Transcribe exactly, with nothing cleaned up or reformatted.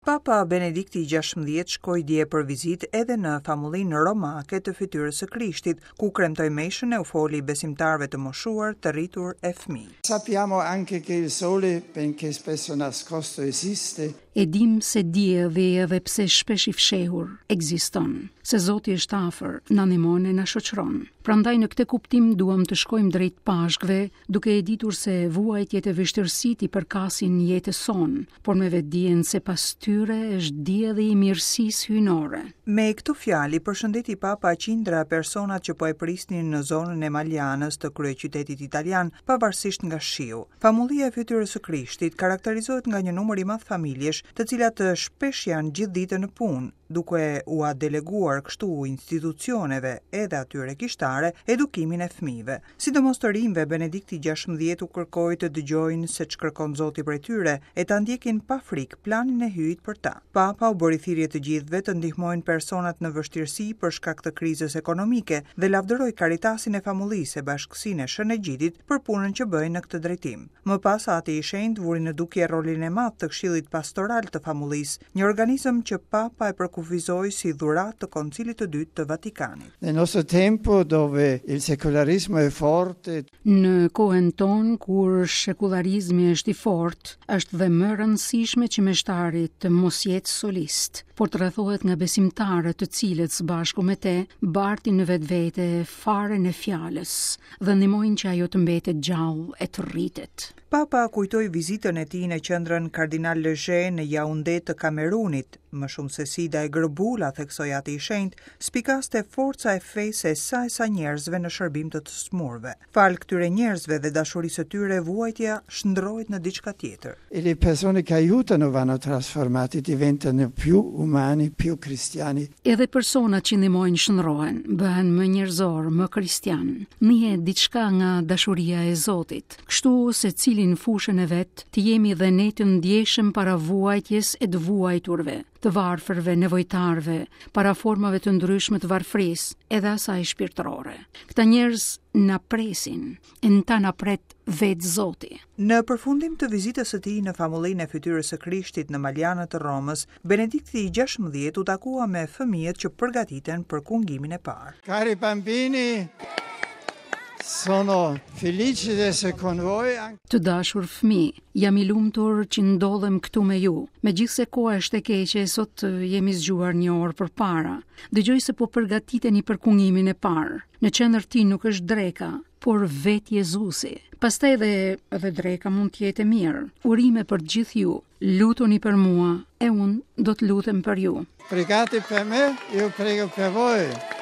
Papa Benedikti gjashtëmbëdhjetë shkoi dje për vizitë edhe në famullinë romake të fytyrës së Krishtit, ku kremtoi meshën e u foli besimtarëve të moshuar, të rritur e fëmijë. Sappiamo anche che il sole, benché spesso nascosto, esiste. E dim se dielli, edhe pse shpesh i fshehur, ekziston, se Zoti është afër, na ndihmon e na shoqëron. Prandaj në këtë kuptim duam të shkojmë drejt Pashkëve, duke e ditur se vuajtjet e vështirësitë i përkasin jetës sonë, por me vetdijen se pas tyre është dielli i mirësisë hyjnore. Me këto fjalë i përshëndeti Papa qindra personat që po e prisnin në zonën e Maljanës të kryeqytetit italian, pavarësisht nga shiu. Famullia e fytyrës së Krishtit karakterizohet nga një numër i madh familjesh, të cilat shpesh janë gjithë ditën në punë, duke ua deleguar kështu institucioneve edhe atyre kishtare edukimin e fëmijëve. Sidomos të rinjve, Benedikti gjashtëmbëdhjetë u kërkoi të dëgjojnë se ç'kërkon Zoti prej tyre e ta ndjekin pa frikë planin e Hyjit për ta. Papa u bëri thirrje të gjithëve të ndihmojnë personat në vështirësi për shkak të krizës ekonomike dhe lavdëroi Caritasin e famullisë e Bashkësinë e Shën Egjidit për punën që bëjnë në këtë drejtim. Më pas Ati i Shenjtë vuri në dukje rolin e madh të Këshillit Pastoral të Famullisë, një organizëm që Papa e përkufizoi si dhuratë të Koncilit të Dytë të Vatikanit. Nel nostro tempo dove il secolarismo è forte, Në kohën tonë kur shekullarizmi është i fortë, është dhe më e rëndësishme që meshtari të mos jetë solist, por të rrethohet nga besimtarët të cilët së bashku me te bartin në vetvete farën e fjalës dhe ndihmojnë që ajo të mbetet gjallë e të rritet. Papa kujtoi vizitën e tij në qendrën Kardinal Lejeune në Yaoundé të Kamerunit. Më shumë se sida e gërbula, theksoi Ati i Shenjtë, spikaste forca e fesë e sa e sa njerëzve në shërbim të të smurve. Fal këtyre njerëzve dhe dashurisë së tyre, vuajtja shndrohet në diçka tjetër. E le persone che aiutano vanno trasformate, diventano più umani, più cristiani. Edhe personat që ndihmojnë shndrohen, bëhen më njerëzor, më kristian. Njihet diçka nga dashuria e Zotit. Kështu secili në fushën e vet, të jemi dhe ne të ndjeshëm para vuajtjes e të vuajturve, të varfërve, nevojtarëve, para formave të ndryshme të varfërisë, edhe asaj shpirtërore. Këta njerëz na presin, e në ta na pret vetë Zoti. Në përfundim të vizitës së tij në famullinë e fytyrës së Krishtit në Maljanët të Romës, Benedikti i gjashtëmbëdhjetë u takua me fëmijët që përgatiten për kungimin e parë. Cari bambini, sono felice di essere con voi. Të dashur fëmijë, jam i lumtur që ndodhem këtu me ju. Megjithse koha është e keqe, sot jemi zgjuar një orë përpara. Dëgjoj se po përgatiteni për kungimin e parë. Në qendër ti nuk është dreka, por vetë Jezusi. Pastaj edhe, edhe dreka mund të jetë e mirë. Urime për të gjithë ju. Lutuni për mua e unë do të lutem për ju. Pregate per me, io prego per voi.